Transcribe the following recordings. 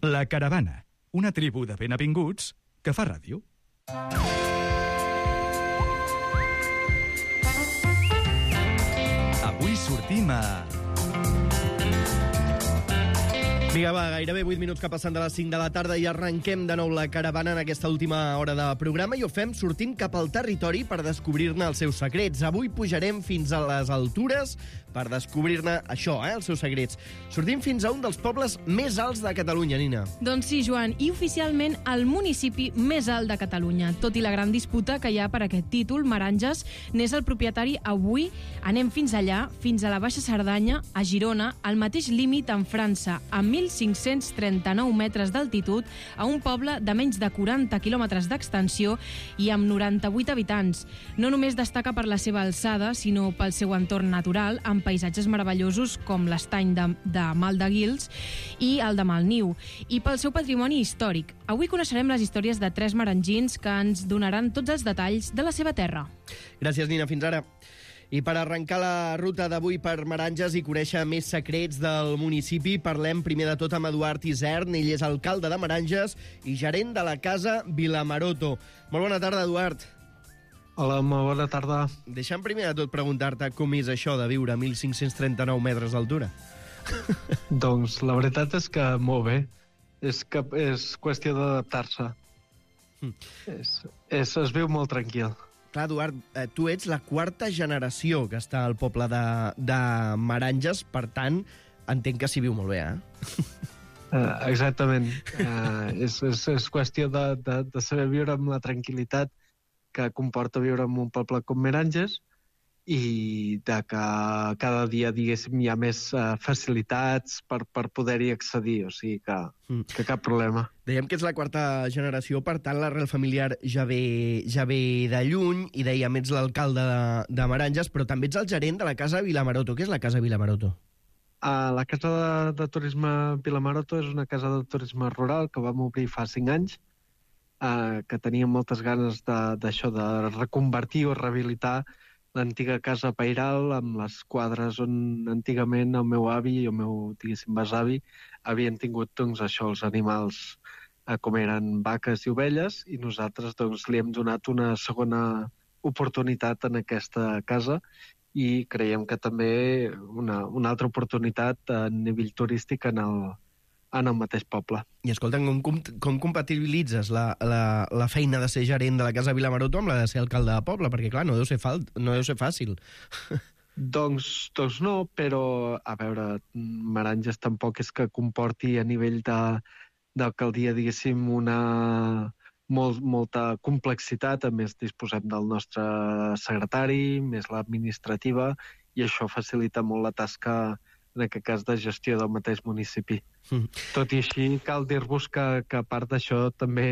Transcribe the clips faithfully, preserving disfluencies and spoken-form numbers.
La Caravana, una tribu de benavinguts que fa ràdio. Avui sortim a... Vinga, va, gairebé vuit minuts que passen de les cinc de la tarda i arrenquem de nou la caravana en aquesta última hora de programa i ho fem sortint cap al territori per descobrir-ne els seus secrets. Avui pujarem fins a les altures per descobrir-ne això, eh, els seus secrets. Sortim fins a un dels pobles més alts de Catalunya, Nina. Doncs sí, Joan, i oficialment el municipi més alt de Catalunya. Tot i la gran disputa que hi ha per aquest títol, Meranges n'és el propietari avui. Anem fins allà, fins a la Baixa Cerdanya, a Girona, al mateix límit amb França, a mil cinc-cents trenta-nou metres d'altitud, a un poble de menys de quaranta quilòmetres d'extensió i amb noranta-vuit habitants. No només destaca per la seva alçada, sinó pel seu entorn natural, amb paisatges meravellosos com l'estany de, de Mal de Guils i el de Malniu, i pel seu patrimoni històric. Avui coneixerem les històries de tres marangins que ens donaran tots els detalls de la seva terra. Gràcies, Nina. Fins ara. I per arrencar la ruta d'avui per Meranges i conèixer més secrets del municipi, parlem primer de tot amb Eduard Isern. Ell és alcalde de Meranges i gerent de la Casa Vilamaroto. Molt bona tarda, Eduard. Hola, molt bona tarda. Deixa'm primer de tot preguntar-te com és això de viure a mil cinc-cents trenta-nou metres d'altura. Doncs la veritat és que molt bé. És, que, és qüestió d'adaptar-se. Mm. És, és, es viu molt tranquil. Clar, Eduard, eh, tu ets la quarta generació que està al poble de, de Meranges, per tant, entenc que s'hi viu molt bé, eh? Uh, exactament. Uh, és, és, és qüestió de, de, de saber viure amb la tranquil·litat que comporta viure en un poble com Meranges i de que cada dia, diguéssim, hi ha més uh, facilitats per, per poder-hi accedir, o sigui que, mm. que cap problema. Dèiem que ets la quarta generació, per tant l'arrel familiar ja ve, ja ve de lluny, i dèiem, ets l'alcalde de, de Meranges, però també ets el gerent de la Casa Vilamaroto. Què és la Casa Vilamaroto? Uh, la Casa de, de Turisme Vilamaroto és una casa de turisme rural que vam obrir fa cinc anys, uh, que teníem moltes ganes d'això, de, de reconvertir o rehabilitar l'antiga casa pairal amb les quadres on antigament el meu avi i el meu, diguéssim, besavi havien tingut, doncs, això, els animals eh, com eren vaques i ovelles, i nosaltres, doncs, li hem donat una segona oportunitat en aquesta casa i creiem que també una, una altra oportunitat a nivell turístic en el, en el mateix poble. I escolta, com, com, com compatibilitzes la, la, la feina de ser gerent de la Casa Vilamaroto amb la de ser alcalde de poble? Perquè, clar, no deu ser, fal, no deu ser fàcil. doncs, doncs no, però, a veure, Meranges tampoc és que comporti a nivell d'alcaldia, diguéssim, una molt, molta complexitat. A més, disposem del nostre secretari, més l'administrativa, i això facilita molt la tasca, en aquest cas, de gestió del mateix municipi. Mm. Tot i així, cal dir-vos que, que a part d'això també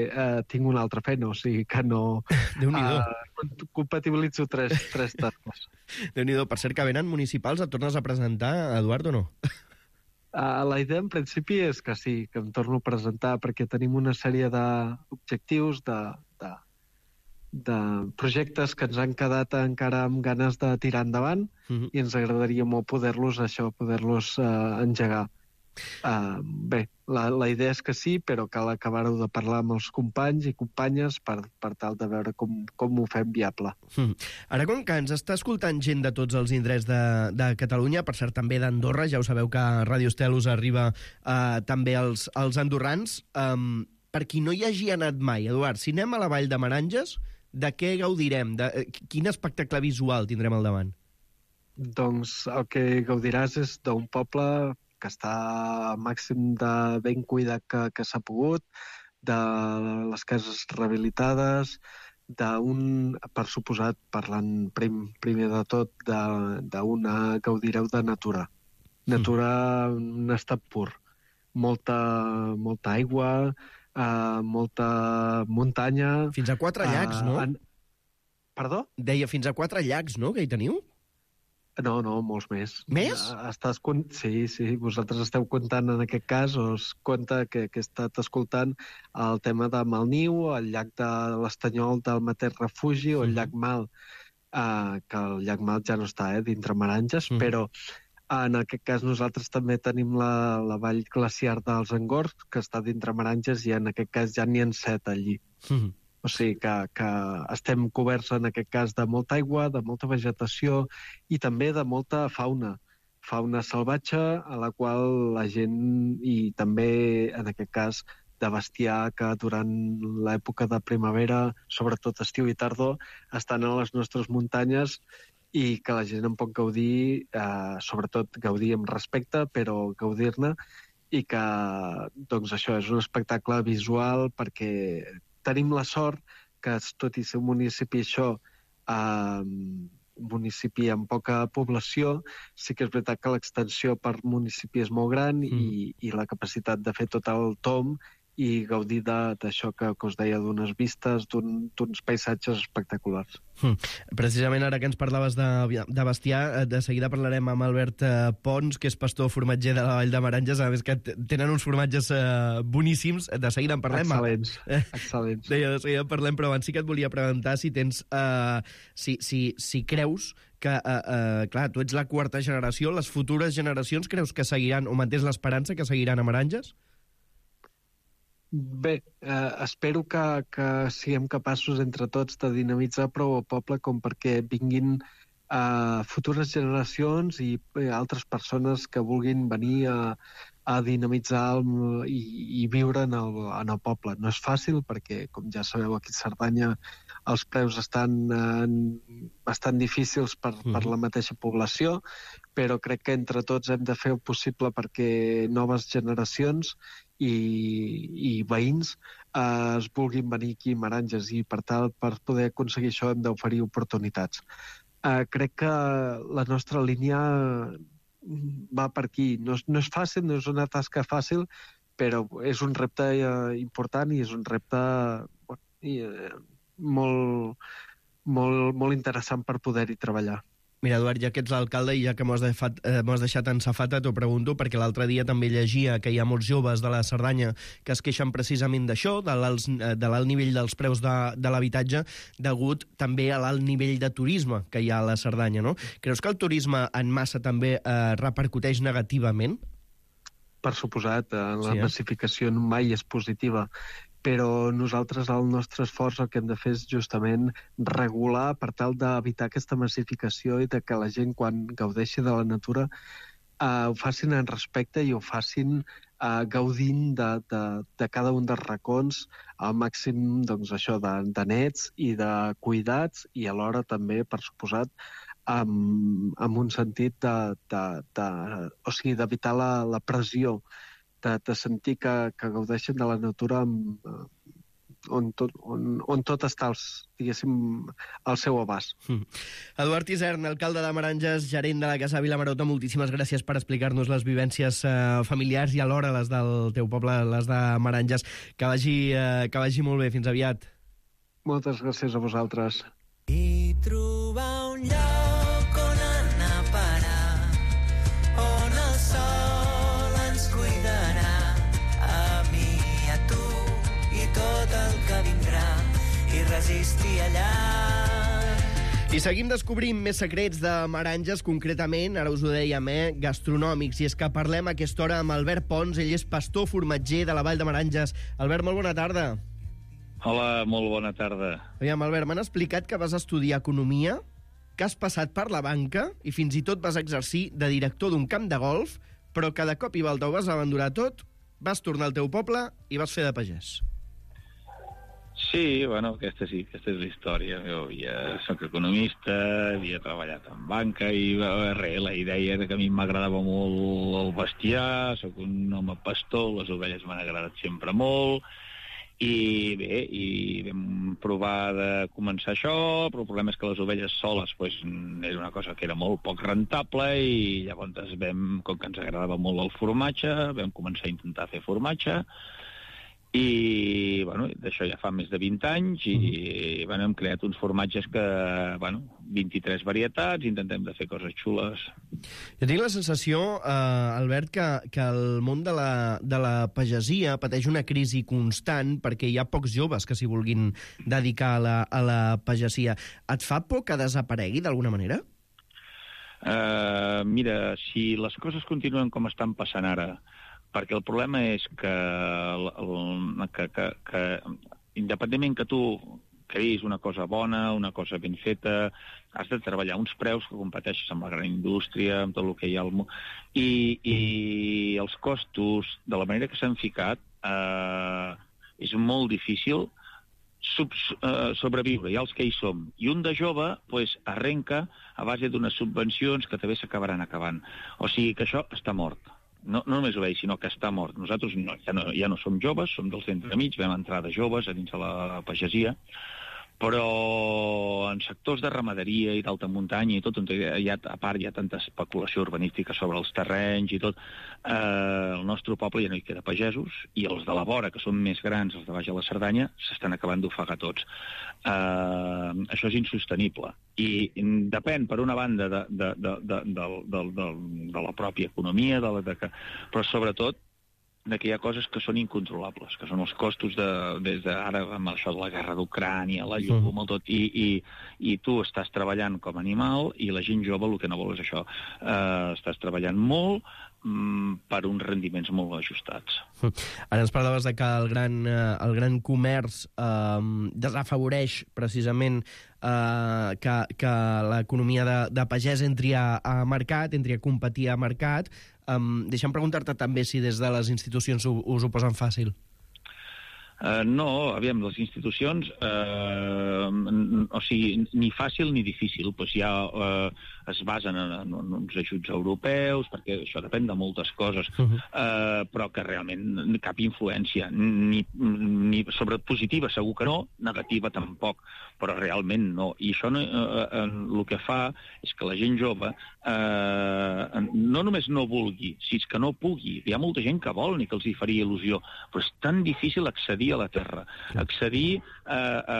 eh, tinc una altra feina, o sigui que no eh, compatibilitzo tres, tres tasques. Déu-n'hi-do. Per cert, que venen municipals, et tornes a presentar, Eduard, o no? Uh, la idea, en principi, és que sí, que em torno a presentar, perquè tenim una sèrie d'objectius, de, de, de projectes que ens han quedat encara amb ganes de tirar endavant, uh-huh. i ens agradaria molt poder-los, això, poder-los uh, engegar. Uh, bé, la, la idea és que sí, però cal acabar-ho de parlar amb els companys i companyes per, per tal de veure com, com ho fem viable. Mm. Ara, com que ens està escoltant gent de tots els indrets de, de Catalunya, per cert també d'Andorra, ja ho sabeu que a Ràdio Estel us arriba uh, també als, als andorrans, um, per qui no hi hagi anat mai, Eduard, si anem a la Vall de Meranges, de què gaudirem? De, quin espectacle visual tindrem al davant? Doncs el que gaudiràs és d'un poble que està al màxim de ben cuidat que, que s'ha pogut, de les cases rehabilitades, d'un, per suposat, parlant prim, primer de tot, d'una gaudireu de natura. Natura en un estat pur. Molta, molta aigua, uh, molta muntanya... Fins a quatre llacs, uh, no? En... Perdó? Deia fins a quatre llacs, no?, que hi teniu? No, no, molts més. Més? Estàs, sí, sí, vosaltres esteu comptant en aquest cas, o es compta que, que he estat escoltant el tema de Malniu, el llac de l'Estanyol del Mateix Refugi, o el llac Mal, eh, que el llac Mal ja no està eh, dintre Meranges, mm. però En aquest cas nosaltres també tenim la, la vall glaciar dels Angors, que està dintre Meranges, i en aquest cas ja n'hi ha set allí. Mm-hmm. O sigui que, que estem coberts en aquest cas de molta aigua, de molta vegetació i també de molta fauna. Fauna salvatge, a la qual la gent, i també en aquest cas de bestiar que durant l'època de primavera, sobretot estiu i tardor, estan a les nostres muntanyes i que la gent en pot gaudir, eh, sobretot gaudir amb respecte, però gaudir-ne, i que doncs això és un espectacle visual perquè tenim la sort que, tot i ser un municipi això, eh, un municipi amb poca població, sí que és veritat que l'extensió per municipi és molt gran mm. i, i la capacitat de fer tot el tom i gaudir d'això que, que us deia, d'unes vistes, d'uns un, paisatges espectaculars. Mm. Precisament ara que ens parlaves de, de bestiar, de seguida parlarem amb Albert eh, Pons, que és pastor formatger de la Vall de Meranges, a més que tenen uns formatges eh, boníssims, de seguida en parlem. Excel·lents, eh, excel·lents. De, de seguida en parlem, però abans sí que et volia preguntar si tens, eh, si, si, si creus que, eh, eh, clar, tu ets la quarta generació, les futures generacions creus que seguiran, o mantens l'esperança que seguiran a Meranges? Bé, eh, espero que, que siguem capaços entre tots de dinamitzar prou el poble com perquè vinguin eh, futures generacions i eh, altres persones que vulguin venir a, a dinamitzar el, i, i viure en el, en el poble. No és fàcil perquè, com ja sabeu, aquí a Cerdanya els preus estan eh, bastant difícils per, mm. per la mateixa població, però crec que entre tots hem de fer el possible perquè noves generacions i, i veïns eh, es vulguin venir aquí a Meranges, i per tal, per poder aconseguir això hem d'oferir oportunitats. Eh, crec que la nostra línia va per aquí. No és, no és fàcil, no és una tasca fàcil, però és un repte eh, important i és un repte bueno, i, eh, molt, molt, molt interessant per poder-hi treballar. Mira, Eduard, ja que ets l'alcalde i ja que m'ho has, eh, has deixat en safata, t'ho pregunto, perquè l'altre dia també llegia que hi ha molts joves de la Cerdanya que es queixen precisament d'això, de l'alt nivell dels preus de, de l'habitatge, degut també a l'alt nivell de turisme que hi ha a la Cerdanya, no? Creus que el turisme en massa també eh, repercuteix negativament? Per suposat, la sí, eh? massificació mai és positiva, però nosaltres el nostre esforç el que hem de fer és justament regular per tal d'evitar aquesta massificació i de que la gent, quan gaudeixi de la natura, eh, ho facin en respecte i ho facin eh, gaudint de, de, de cada un dels racons al màxim, doncs, això, de, de nets i de cuidats, i alhora també, per suposat, amb, amb un sentit de, de, de, o sigui, d'evitar la, la pressió, de, de sentir que, que gaudeixen de la natura amb, on, tot, on, on tot està, els, diguéssim, al seu abast. Mm. Eduard Isern, alcalde de Meranges, gerent de la Casa Vilamarota, moltíssimes gràcies per explicar-nos les vivències eh, familiars i alhora les del teu poble, les de Meranges. Que vagi, eh, que vagi molt bé. Fins aviat. Moltes gràcies a vosaltres. I trobar un lloc on anar a parar, on el sol ens cuidarà, a mi i a tu i tot el que vindrà, i resistir allà. I seguim descobrint més secrets de Meranges, concretament, ara us ho dèiem, eh, gastronòmics, i és que parlem a aquesta hora amb Albert Pons. Ell és pastor formatger de la Vall de Meranges. Albert, molt bona tarda. Hola, molt bona tarda. Aviam, Albert, m'han explicat que vas estudiar economia, que has passat per la banca i fins i tot vas exercir de director d'un camp de golf, però que de cop i volta ho vas abandonar tot, vas tornar al teu poble i vas fer de pagès. Sí, bueno, aquesta sí, aquesta és la història. Jo havia, soc economista, havia treballat en banca i res, la idea era que a mi m'agradava molt el bestiar, soc un home pastor, les ovelles m'han agradat sempre molt, i bé, i vam provar de començar això, però el problema és que les ovelles soles pues, era una cosa que era molt poc rentable, i llavors vam, com que ens agradava molt el formatge, vam començar a intentar fer formatge, i bueno, d'això ja fa més de vint anys, i bueno, hem creat uns formatges que, bueno, vint-i-tres varietats, intentem de fer coses xules. Jo tinc la sensació, eh, Albert, que, que el món de la, de la pagesia pateix una crisi constant perquè hi ha pocs joves que s'hi vulguin dedicar a la, a la pagesia. Et fa por que desaparegui d'alguna manera? Uh, mira, si les coses continuen com estan passant ara, perquè el problema és que, el, que, que, que independentment que tu creïs una cosa bona, una cosa ben feta, has de treballar uns preus que competeixes amb la gran indústria, amb tot el que hi ha al món, i, i els costos, de la manera que s'han ficat, eh, és molt difícil sub, eh, sobreviure, ja els que hi som. I un de jove pues, arrenca a base d'unes subvencions que també s'acabaran acabant. O sigui que això està mort. No, no només ho veig, sinó que està mort. Nosaltres no, ja, no, ja no som joves, som dels entremig, vam entrar de joves a dins de la pagesia, però en sectors de ramaderia i d'alta muntanya i tot, on hi ha, a part hi ha tanta especulació urbanística sobre els terrenys i tot, eh, el nostre poble ja no hi queda pagesos, i els de la vora, que són més grans, els de baix a la Cerdanya, s'estan acabant d'ofegar tots. Eh, això és insostenible. I depèn, per una banda, de, de, de, de, de, de, de, de la pròpia economia, de la, de que, però sobretot de que hi ha coses que són incontrolables, que són els costos de, des d'ara amb això de la guerra d'Ucrània, la llum, mm. tot, i, i, i tu estàs treballant com a animal i la gent jove el que no vol és això. Uh, estàs treballant molt mm, per uns rendiments molt ajustats. Ara ens parlaves de que el gran, el gran comerç eh, desafavoreix precisament eh, que, que l'economia de, de pagès entri a, a mercat, entri a competir a mercat. Um, deixa'm preguntar-te també si des de les institucions us ho posen fàcil. Uh, no, aviam, les institucions, uh, o sigui, ni fàcil ni difícil, doncs ja uh, es basen en, en, en uns ajuts europeus, perquè això depèn de moltes coses, uh-huh. uh, però que realment cap influència, ni, ni sobre positiva segur que no, negativa tampoc, però realment no. I això no, uh, uh, el que fa és que la gent jove uh, no només no vulgui, si és que no pugui, hi ha molta gent que vol ni que els hi faria il·lusió, però és tan difícil accedir a la terra, accedir a, a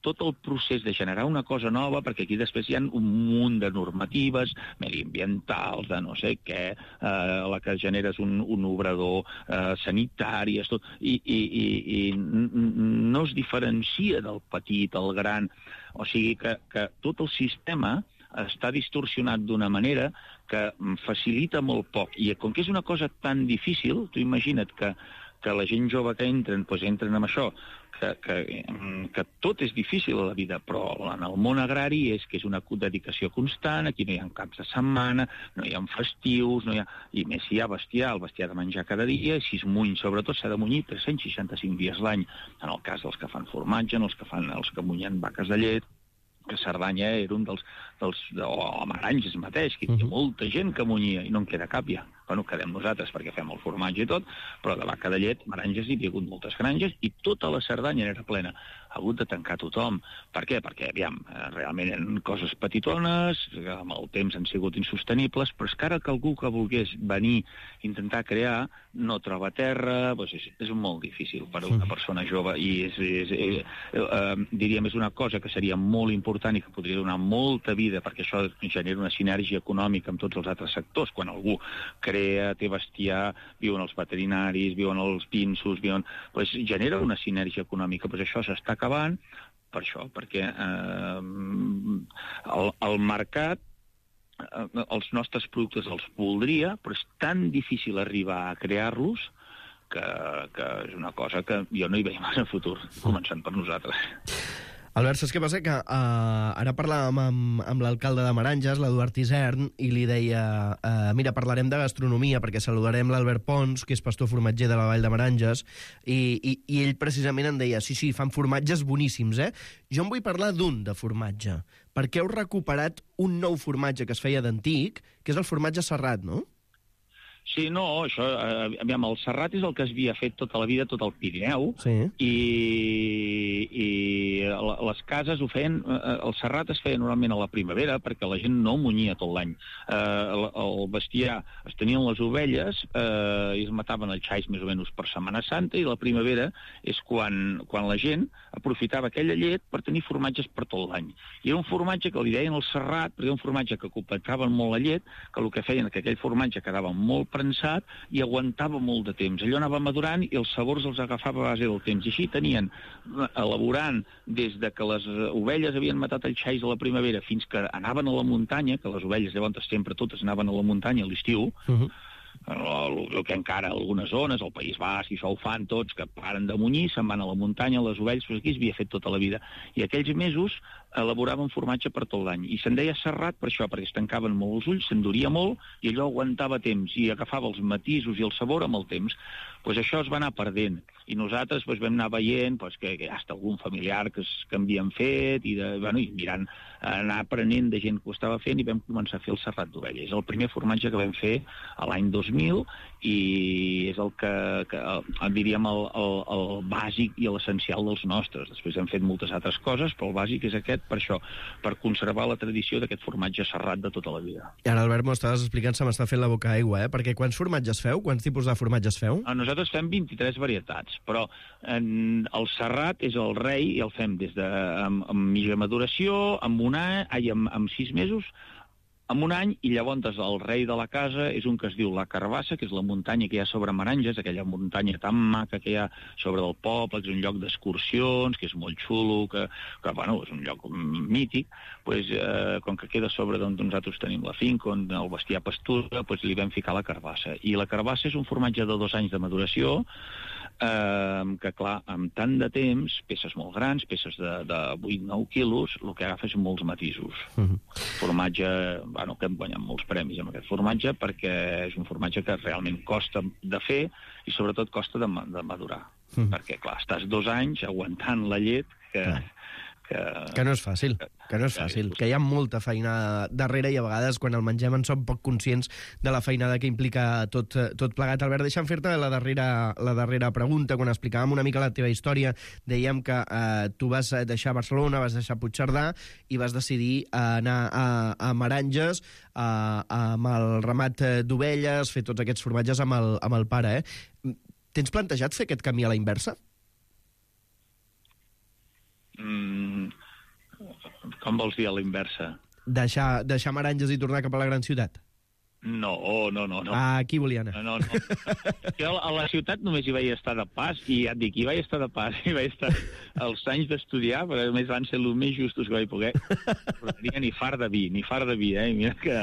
tot el procés de generar una cosa nova, perquè aquí després hi ha un munt de normatives mediambientals, de no sé què, eh, la que generes un, un obrador eh, sanitari, tot, i, i, i, i no es diferencia del petit, el gran, o sigui que, que tot el sistema està distorsionat d'una manera que facilita molt poc, i com que és una cosa tan difícil, tu imagina't que que la gent jove que entren, doncs entren amb això, que, que, que tot és difícil a la vida, però en el món agrari és que és una dedicació constant, aquí no hi ha caps de setmana, no hi ha festius, no hi ha... i més si hi ha bestiar, el bestiar ha de menjar cada dia, i si es muny, sobretot, s'ha de munyir tres-cents seixanta-cinc dies l'any, en el cas dels que fan formatge, en els que fan els que munyen vaques de llet, que Cerdanya era un dels... dels o a Maranges mateix, que hi havia molta gent que munyia, i no en queda cap ja. Bueno, quedem nosaltres perquè fem el formatge i tot, però de vaca de llet, Maranges, hi havia hagut moltes granges i tota la Cerdanya era plena. Ha hagut de tancar tothom. Per què? Perquè, aviam, realment eren coses petitones, amb el temps han sigut insostenibles, però és que ara que algú que volgués venir, intentar crear, no troba terra, doncs és, és molt difícil per a una persona jove, i és, és, és, eh, diríem, és una cosa que seria molt important i que podria donar molta vida, perquè això genera una sinergia econòmica amb tots els altres sectors. Quan algú crea, té bestiar, viuen els veterinaris, viuen els pinsos, viuen... Pues genera una sinergia econòmica. Pues això s'està acabant per això, perquè eh, el, el mercat eh, els nostres productes els voldria, però és tan difícil arribar a crear-los que, que és una cosa que jo no hi veig massa futur, començant per nosaltres. Albert, saps què passa? Que uh, ara parlàvem amb, amb l'alcalde de Maranges, l'Eduard Isern, i li deia, uh, mira, parlarem de gastronomia, perquè saludarem l'Albert Pons, que és pastor formatger de la Vall de Maranges, i, i, i ell precisament em deia, sí, sí, fan formatges boníssims, eh? Jo en vull parlar d'un de formatge, perquè heu recuperat un nou formatge que es feia d'antic, que és el formatge serrat, no? Sí, no, això, eh, aviam, el serrat és el que es havia fet tota la vida, tot el Pirineu, sí. i, i les cases ho feien, eh, el serrat es feia normalment a la primavera, perquè la gent no munyia tot l'any. Eh, el, el bestiar, es tenien les ovelles, eh, i es mataven els xais més o menys per Setmana Santa, i la primavera és quan, quan la gent aprofitava aquella llet per tenir formatges per tot l'any. I era un formatge que li deien el serrat, perquè era un formatge que completava molt la llet, que el que feien que aquell formatge quedava molt prensat i aguantava molt de temps. Allò anava madurant i els sabors els agafava a base del temps. I així tenien, elaborant des de que les ovelles havien matat el xais a la primavera fins que anaven a la muntanya, que les ovelles llavors sempre totes anaven a la muntanya a l'estiu, uh-huh. el, el que encara algunes zones, el País Basc, i això ho fan tots, que paren de munyir, se'n van a la muntanya, les ovelles, doncs aquí es havia fet tota la vida. I aquells mesos elaboraven formatge per tot l'any. I se'n deia serrat per això, perquè es tancaven molt els ulls, s'enduria molt, i allò aguantava temps, i agafava els matisos i el sabor amb el temps. Pues això es va anar perdent. I nosaltres pues, vam anar veient pues, que, que hasta algun familiar que, es, que havien fet, i, de, bueno, i mirant, anar aprenent de gent que ho estava fent, i vam començar a fer el serrat d'ovella. És el primer formatge que vam fer a l'any dos mil, i és el que, que el, diríem, el, el, el bàsic i l'essencial dels nostres. Després hem fet moltes altres coses, però el bàsic és aquest, per això, per conservar la tradició d'aquest formatge serrat de tota la vida. I ara, Albert, m'ho estaves explicant, se m'està fent la boca aigua, eh? Perquè quants formatges feu? Quants tipus de formatges feu? Nosaltres fem vint-i-tres varietats, però en, el serrat és el rei i el fem des de amb, amb mitja maduració, amb un any, ai, amb, amb sis mesos, amb un any, i llavors el rei de la casa és un que es diu la Carbassa, que és la muntanya que hi ha sobre Meranges, aquella muntanya tan maca que hi ha sobre el poble, que és un lloc d'excursions, que és molt xulo, que, que bueno, és un lloc mític, pues, eh, com que queda sobre d'on nosaltres tenim la finca, on el bestiar pastura, pues, li vam ficar la Carbassa. I la Carbassa és un formatge de dos anys de maduració, eh, que clar, amb tant de temps, peces molt grans, peces de, de vuit a nou quilos, el que agafa és molts matisos. Uh-huh. Formatge, bueno, que hem guanyat molts premis amb aquest formatge, perquè és un formatge que realment costa de fer i sobretot costa de, de madurar. Uh-huh. Perquè, clar, estàs dos anys aguantant la llet que... Uh-huh. Que, que no és fàcil, que no és fàcil, que hi ha molta feina darrere i a vegades quan el mengem en som poc conscients de la feinada que implica tot, tot plegat. Albert, deixa'm fer-te la darrera, la darrera pregunta. Quan explicàvem una mica la teva història, dèiem que eh, tu vas deixar Barcelona, vas deixar Puigcerdà i vas decidir anar a, a Meranges a, amb el ramat d'ovelles, fer tots aquests formatges amb el, amb el pare. Eh? Tens plantejat fer aquest camí a la inversa? Mm, com vols dir a la inversa? Deixar, deixar Meranges i tornar cap a la gran ciutat? No, no, no. no. Ah, aquí volia anar. No, no, no. Jo a la ciutat només hi vaig estar de pas, i ja et dic, hi vaig estar de pas, hi vaig estar els anys d'estudiar, però a més van ser els més justos que vaig poder. Però tenia ni far de vi, ni far de vi, eh? Mira que...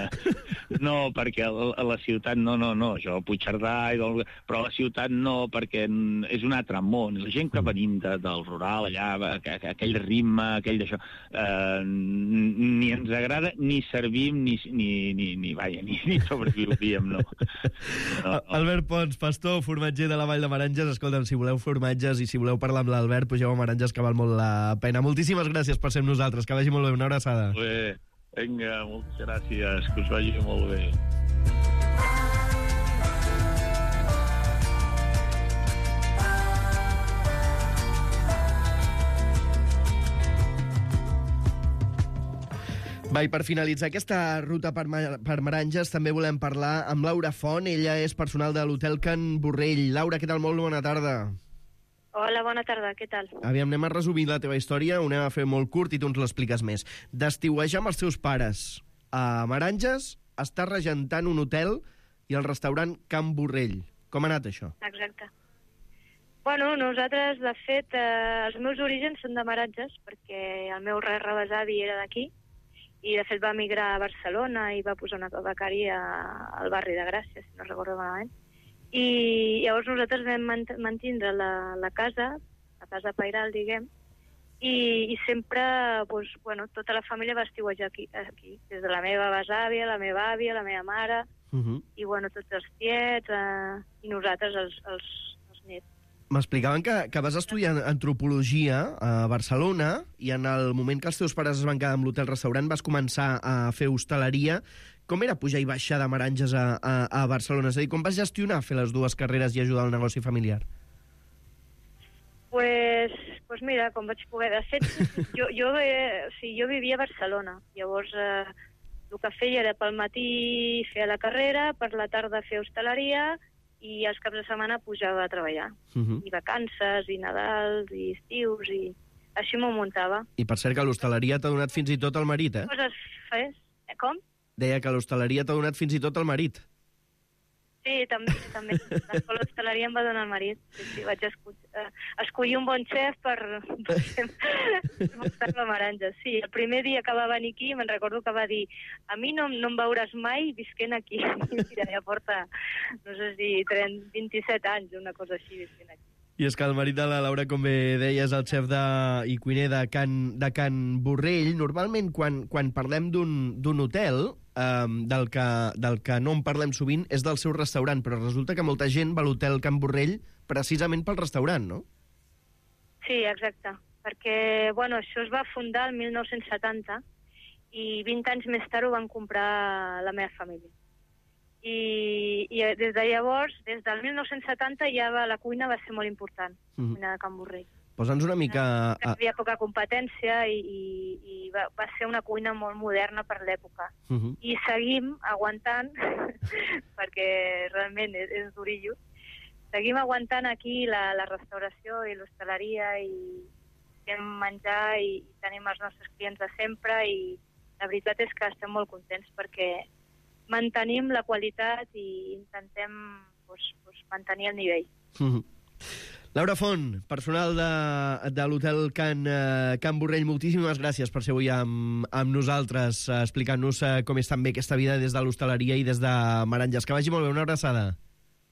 No, perquè a la ciutat no, no, no, jo a Puigcerdà, i del... però a la ciutat no, perquè és un altre món. La gent que venim de, del rural, allà, aquell ritme, aquell d'això, eh, ni ens agrada, ni servim, ni, ni, ni, ni, vaja, ni, ni sobreviuríem, no. no, no. Albert Pons, pastor, formatger de la Vall de Meranges. Escolta'm, si voleu formatges i si voleu parlar amb l'Albert, pugeu a Meranges, que val molt la pena. Moltíssimes gràcies per ser amb nosaltres, que vagi molt bé. Una abraçada. Molt bé, vinga, moltes gràcies, que us vagi molt bé. Va, i per finalitzar aquesta ruta per, per Meranges també volem parlar amb Laura Font. Ella és personal de l'Hotel Can Borrell. Laura, què tal? Molt bona tarda. Hola, bona tarda, què tal? Aviam, anem a resumir la teva història, ho anem a fer molt curt i tu ens l'expliques més. D'estiuejar amb els teus pares a Meranges, estàs regentant un hotel i el restaurant Can Borrell. Com ha anat això? Exacte. Bueno, nosaltres, de fet, eh, els meus orígens són de Meranges, perquè el meu rebesavi era d'aquí, i de fet va migrar a Barcelona i va posar una becaria al barri de Gràcia, si no recordo malament. I llavors nosaltres vam mantindre la, la casa, la casa pairal, diguem, i, i sempre, doncs, bueno, tota la família va estiuejar aquí, aquí, des de la meva besàvia, la meva àvia, la meva mare, uh-huh. i bueno, tots els tiets, eh, i nosaltres, els, els, els nets. M'explicaven que, que vas estudiar antropologia a Barcelona i en el moment que els teus pares es van quedar amb l'hotel-restaurant vas començar a fer hostaleria. Com era pujar i baixar de Meranges a, a, a Barcelona? És a dir, com vas gestionar fer les dues carreres i ajudar al negoci familiar? Pues, pues mira, com vaig poder... De fet, jo, jo, eh, o sigui, jo vivia a Barcelona. Llavors, eh, el que feia era pel matí fer la carrera, per la tarda fer hostaleria, i els caps de setmana pujava a treballar. Uh-huh. I vacances, i Nadals, i estius, i així m'ho muntava. I per cert que l'hostaleria t'ha donat fins i tot el marit, eh? Coses fes. Com? Deia que l'hostaleria t'ha donat fins i tot el marit. Sí, també, també. L'escola d'hostaleria em va donar el marit. Sí, sí, vaig escollir, uh, escollir un bon xef per, per muntar-me meranges. Sí, el primer dia que va venir aquí me'n recordo que va dir a mi no, no em veuràs mai visquent aquí. Mira, ja porta, no sé si trenta, vint-i-set anys, una cosa així, visquent aquí. I és que el marit de la Laura, com bé deies, el xef de, i cuiner de Can, de Can Borrell. Normalment, quan, quan parlem d'un hotel, um, del, que, del que no en parlem sovint, és del seu restaurant, però resulta que molta gent va a l'hotel Can Borrell precisament pel restaurant, no? Sí, exacte, perquè bueno, això es va fundar el mil nou-cents setanta i vint anys més tard ho van comprar la meva família. I, i des de llavors, des del mil nou-cents setanta, ja va, la cuina va ser molt important, la Mhm. cuina de Can Borrell. Posa'ns una mica... Hi havia poca competència i, i, i va, va ser una cuina molt moderna per l'època. Uh -huh. I seguim aguantant, perquè realment és, és durillo, seguim aguantant aquí la, la restauració i l'hostaleria i fem menjar i, i tenim els nostres clients de sempre i la veritat és que estem molt contents perquè mantenim la qualitat i intentem pues, pues, mantenir el nivell. Uh -huh. Laura Font, personal de, de l'hotel Can, uh, Can Borrell, moltíssimes gràcies per ser avui amb, amb nosaltres, uh, explicant-nos uh, com és també aquesta vida des de l'hostaleria i des de Meranges. Que vagi molt bé, una abraçada.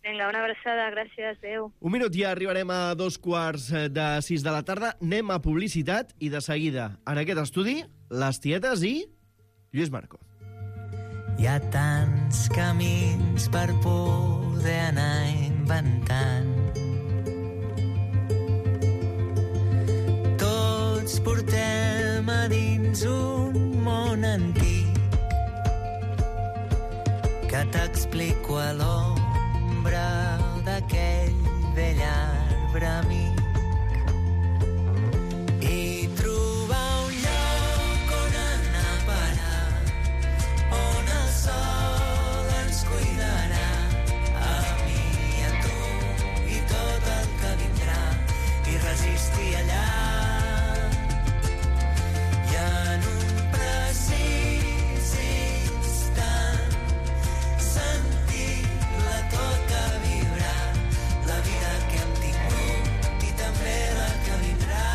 Vinga, una abraçada, gràcies, adeu. Un minut, ja arribarem a dos quarts de sis de la tarda, anem a publicitat i de seguida, en aquest estudi, les tietes i Lluís Marco. Hi ha tants camins per poder anar inventant. Tots portem a dins un món antic que t'explico a l'ombra d'aquell vell arbre amic. I trobar un lloc on anar a parar, on el sol ens cuidarà, a mi i a tu i tot el que vindrà, i resistir allà. I en un precís instant sentir-la tota vibrar, la vida que hem tingut i també la que vindrà.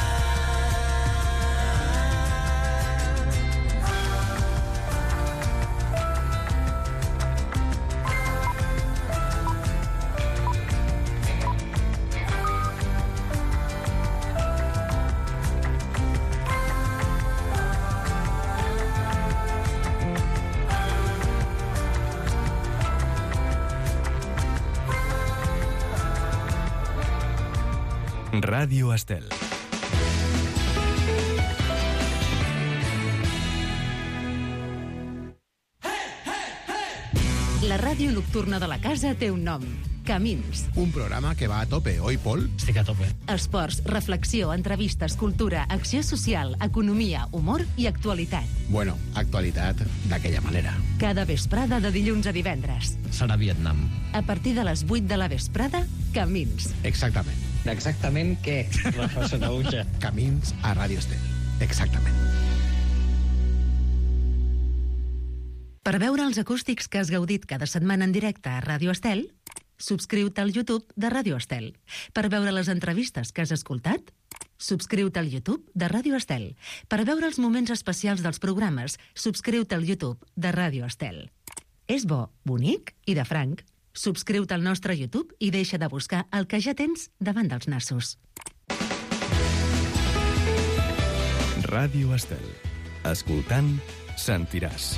Ràdio Estel. La ràdio nocturna de la casa té un nom. Camins. Un programa que va a tope, oi, Pol? Estic a tope. Esports, reflexió, entrevistes, cultura, acció social, economia, humor i actualitat. Bueno, actualitat d'aquella manera. Cada vesprada de dilluns a divendres. Serà Vietnam. A partir de les vuit de la vesprada, Camins. Exactament. Exactament què, Rafa Sanauja? Camins a Ràdio Estel. Exactament. Per veure els acústics que has gaudit cada setmana en directe a Ràdio Estel, subscriu-te al YouTube de Ràdio Estel. Per veure les entrevistes que has escoltat, subscriu-te al YouTube de Ràdio Estel. Per veure els moments especials dels programes, subscriu-te al YouTube de Ràdio Estel. És bo, bonic i de franc. Subscriu-te al nostre YouTube i deixa de buscar el que ja tens davant dels nassos. Ràdio Estel. Escoltant, sentiràs.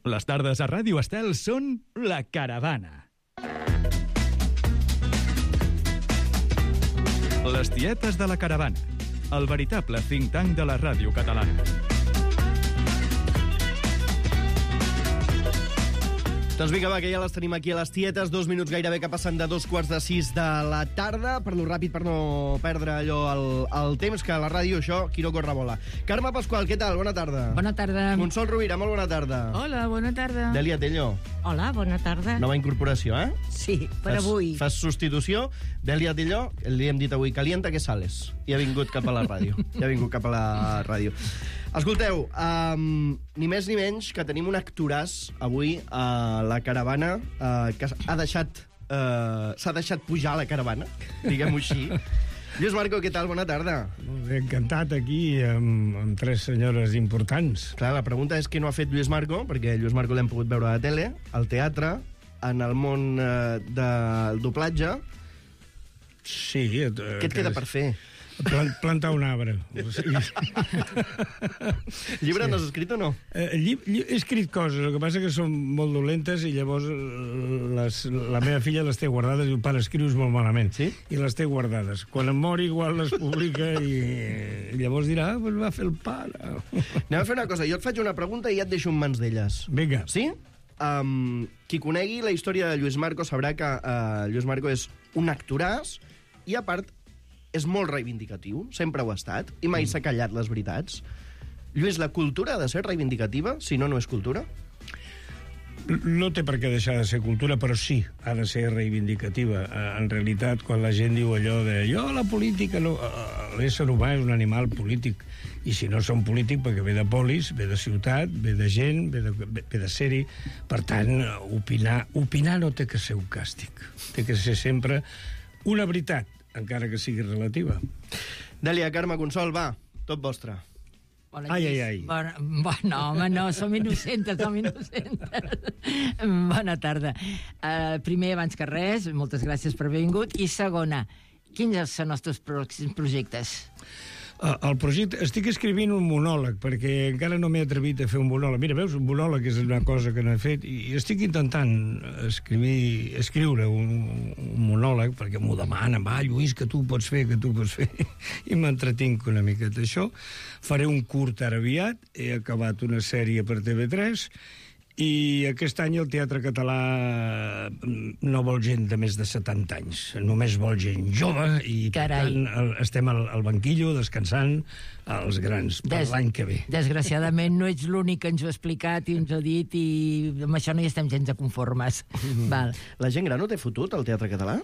Les tardes a Ràdio Estel són La Caravana. Les tietes de La Caravana. El veritable think tank de la ràdio catalana. Doncs vinga, va, que ja les tenim aquí a les tietes. Dos minuts gairebé que passen de dos quarts de sis de la tarda. Parlo ràpid per no perdre allò el, el temps, que a la ràdio això, qui no corre vola. Carme Pasqual, què tal? Bona tarda. Bona tarda. Consol Rovira, molt bona tarda. Hola, bona tarda. Dèlia Tello. Hola, bona tarda. Nova incorporació, eh? Sí, per fas, avui. Fas substitució. Dèlia Tello, li hem dit avui, calienta que sales. I ha vingut cap a la ràdio. I ha vingut cap a la ràdio. Escolteu, um, ni més ni menys que tenim un actoràs avui a la caravana uh, que ha deixat uh, s'ha deixat pujar a la caravana, diguem-ho així. Lluís Marco, què tal? Bona tarda. Molt bé, encantat aquí amb, amb tres senyores importants. Clar, la pregunta és què no ha fet Lluís Marco, perquè Lluís Marco l'hem pogut veure a la tele, al teatre, en el món uh, del doblatge. Sí. Eh, què et queda per fer? Plant, plantar un arbre. Llibre sí. N'has escrit o no? Eh, lli, lli, he escrit coses, el que passa que són molt dolentes i llavors les, la meva filla les té guardades i diu, pare, escrius molt malament. Sí? I les té guardades. Quan em mori igual les publica i, i llavors dirà, ah, pues va fer el pare. Anem a fer una cosa, jo et faig una pregunta i ja et deixo en mans d'elles. Vinga. Sí? Um, qui conegui la història de Lluís Marco sabrà que uh, Lluís Marco és un actoràs i, a part, és molt reivindicatiu, sempre ho ha estat, i mai mm. s'ha callat les veritats. Lluís, la cultura ha de ser reivindicativa, si no, no és cultura? No té per què deixar de ser cultura, però sí, ha de ser reivindicativa. En realitat, quan la gent diu allò de jo, la política, no... l'ésser humà és un animal polític, i si no som polític, perquè ve de polis, ve de ciutat, ve de gent, ve de, ve de ser-hi. Per tant, opinar, opinar no té que ser un càstig. Té que ser sempre una veritat, encara que sigui relativa. Dèlia, Carme, Consol, va, tot vostre. Bona, ai, ai, ai. Bona, bueno, home, no, som innocentes, som innocentes. Bona tarda. Uh, primer, abans que res, moltes gràcies per haver vingut. I segona, quins són els teus pròxims projectes? El projecte... Estic escrivint un monòleg, perquè encara no m'he atrevit a fer un monòleg. Mira, veus, un monòleg és una cosa que no he fet, i estic intentant escriure, escriure un, un monòleg, perquè m'ho demanen, va, Lluís, que tu pots fer, que tu pots fer, i m'entretinc una miqueta això. Faré un curt ara aviat, he acabat una sèrie per T V tres, i aquest any el Teatre Català no vol gent de més de setanta anys. Només vol gent jove i, Carai. per tant, estem al, al banquillo descansant els grans per Des, l'any que ve. Desgraciadament no ets l'únic que ens ho ha explicat i ens ho ha dit, i amb això no hi estem gens de conformes. Mm. Val. La gent gran no té fotut al Teatre Català?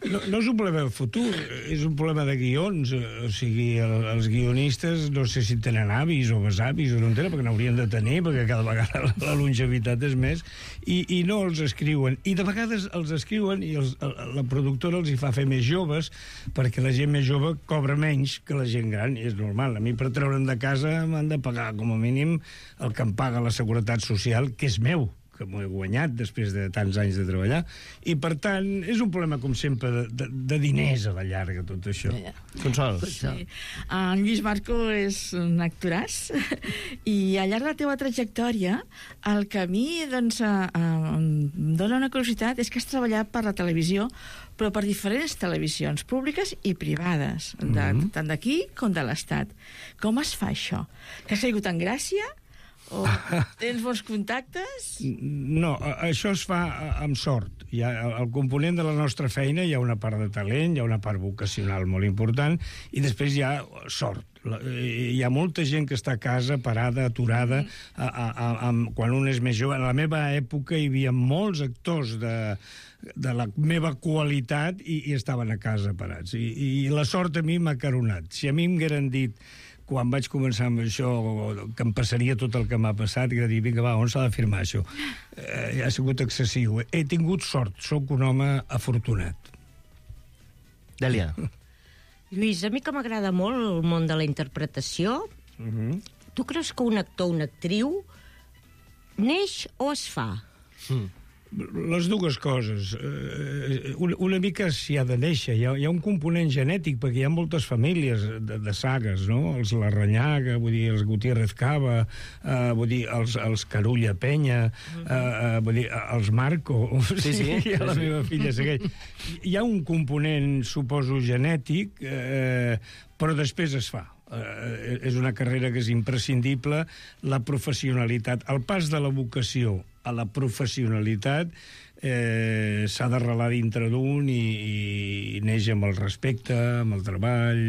No, no és un problema de futur, és un problema de guions. O sigui, el, els guionistes no sé si tenen avis o besavis o no en tenen, perquè n'haurien de tenir, perquè cada vegada la, la longevitat és més, i, i no els escriuen. I de vegades els escriuen i els, la productora els hi fa fer més joves, perquè la gent més jove cobra menys que la gent gran, i és normal. A mi, per treure'm de casa, m'han de pagar com a mínim el que em paga la Seguretat Social, que és meu, que m'ho he guanyat després de tants anys de treballar, i per tant és un problema, com sempre, de, de, de diners a la llarga, tot això. Yeah. Consol. Sí. En Lluís Marco és un actoràs i al llarg de la teva trajectòria el que a mi doncs, eh, em dona una curiositat és que has treballat per la televisió, però per diferents televisions públiques i privades, de, mm-hmm. tant d'aquí com de l'Estat. Com es fa això? Que has caigut en gràcia? O tens bons contactes? No, això es fa amb sort. Hi ha, el component de la nostra feina hi ha una part de talent, hi ha una part vocacional molt important, i després hi ha sort. Hi ha molta gent que està a casa, parada, aturada, a, a, a, a, quan un és més jove. En la meva època hi havia molts actors de, de la meva qualitat i, i estaven a casa parats. I, i la sort a mi m'ha caronat. Si a mi m'hagueren dit, quan vaig començar amb això, que em passaria tot el que m'ha passat, i que dir, vinga, va, on s'ha de firmar això? Eh, ha sigut excessiu. He tingut sort, sóc un home afortunat. Dèlia. Lluís, a mi que m'agrada molt el món de la interpretació, uh-huh. Tu creus que un actor o una actriu neix o es fa? Mm. Les dues coses. Una, una mica s'hi ha de néixer. Hi ha, hi ha un component genètic, perquè hi ha moltes famílies de, de sagues, no? Els Larrañaga, vull dir, els Gutiérrez Cava, uh, vull dir, els, els Carulla Penya, uh, uh, vull dir, els Marco. Sí, sí. I la meva filla segueix. Hi ha un component, suposo, genètic, eh, però després es fa. Uh, és una carrera que és imprescindible. La professionalitat, el pas de la vocació a la professionalitat eh, s'ha d'arrelar dintre d'un i, i neix amb el respecte, amb el treball,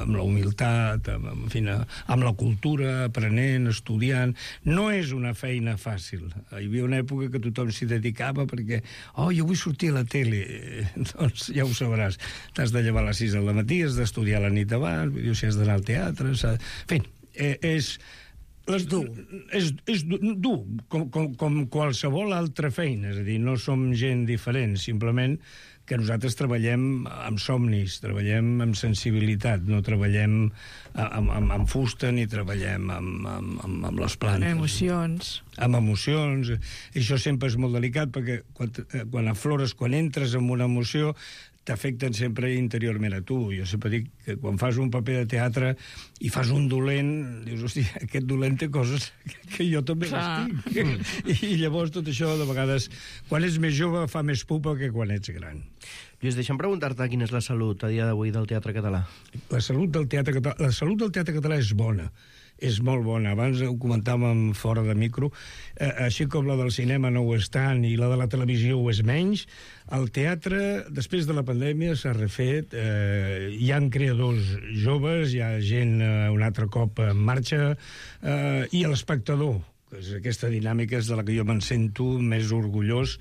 amb la humilitat, amb, en fi, amb la cultura, aprenent, estudiant. No és una feina fàcil. Hi havia una època que tothom s'hi dedicava perquè, oh, jo vull sortir a la tele. Eh, doncs ja ho sabràs. T'has de llevar a les sis del matí, has d'estudiar la nit abans, si has d'anar al teatre... En fi, eh, és... Les, dur. És, és dur, com, com, com qualsevol altra feina. És a dir, no som gent diferent, simplement que nosaltres treballem amb somnis, treballem amb sensibilitat, no treballem amb, amb, amb fusta ni treballem amb, amb, amb, amb les plantes. Amb emocions. Amb emocions. I això sempre és molt delicat, perquè quan, quan aflores, quan entres en una emoció, t'afecten sempre interiorment a tu. Jo sempre dic que quan fas un paper de teatre i fas un dolent, dius, hòstia, aquest dolent té coses que jo també les tinc. I llavors tot això, de vegades, quan ets més jove, fa més pupa que quan ets gran. Lluís, deixa'm preguntar-te quina és la salut a dia d'avui del teatre català. La salut del teatre català, la salut del teatre català és bona. És molt bona. Abans ho comentàvem fora de micro. Eh, així com la del cinema no ho és tant i la de la televisió ho és menys, el teatre, després de la pandèmia, s'ha refet. Eh, hi ha creadors joves, hi ha gent eh, un altre cop en marxa, eh, i l'espectador, que és aquesta dinàmica és de la que jo me'n sento més orgullós,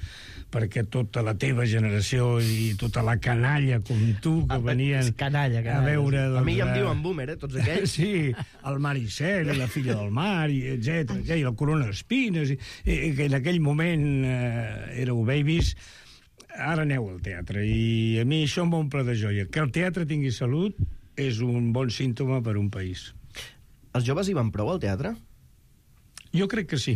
perquè tota la teva generació i tota la canalla com tu que venien canalla, canalla. a veure... Doncs, a mi ja em diuen boomer, eh, tots aquells. Sí, el Maricel, la filla del mar, i etcètera, i la Corona d'Espines, i, i que en aquell moment eh, éreu babies. Ara aneu al teatre, i a mi això m'omple de joia. Que el teatre tingui salut és un bon símptoma per un país. Els joves hi van prou al teatre? Jo crec que sí.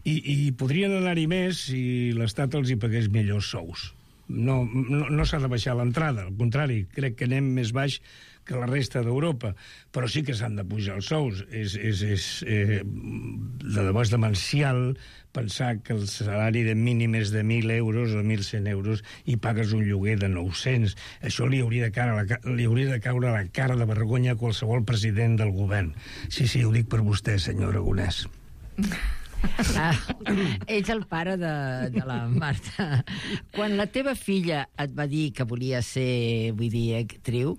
I, i podrien anar-hi més si l'Estat els hi pagués millors sous. No, no, no s'ha de baixar l'entrada, al contrari, crec que anem més baix que la resta d'Europa, però sí que s'han de pujar els sous. És, és, és, eh, de debò és demencial pensar que el salari de mínim és de mil euros o mil cent euros i pagues un lloguer de nou-cents. Això li hauria de caure, li hauria de caure a la cara de vergonya a qualsevol president del govern. Sí, sí, ho dic per vostè, senyor Aragonès. Ah, ets el pare de, de la Marta. Quan la teva filla et va dir que volia ser, vull dir, actriu,